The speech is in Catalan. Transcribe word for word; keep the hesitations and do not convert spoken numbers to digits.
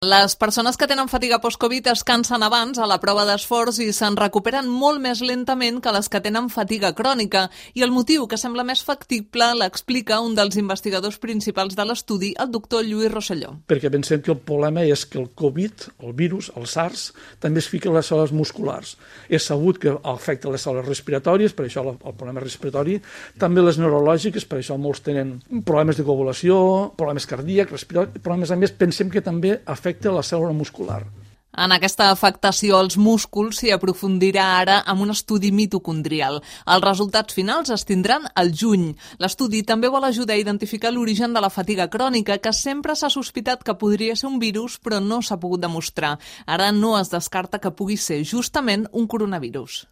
Les persones que tenen fatiga post-Covid es cansen abans a la prova d'esforç i se'n recuperen molt més lentament que les que tenen fatiga crònica. I el motiu que sembla més factible l'explica un dels investigadors principals de l'estudi, el doctor Lluís Rosselló. Perquè pensem que el problema és que el Covid, el virus, el SARS, també es fica a les cèl·lules musculars. És sabut que afecta les cèl·lules respiratòries, per això el problema respiratori, també les neurològiques, per això molts tenen problemes de coagulació, problemes cardíacs, respiratoris, però a més a més pensem que també afecta afecta la cèl·lula muscular. En aquesta afectació als músculs s'hi aprofundirà ara amb un estudi mitocondrial. Els resultats finals es tindran al juny. L'estudi també vol ajudar a identificar l'origen de la fatiga crònica, que sempre s'ha sospitat que podria ser un virus, però no s'ha pogut demostrar. Ara no es descarta que pugui ser justament un coronavirus.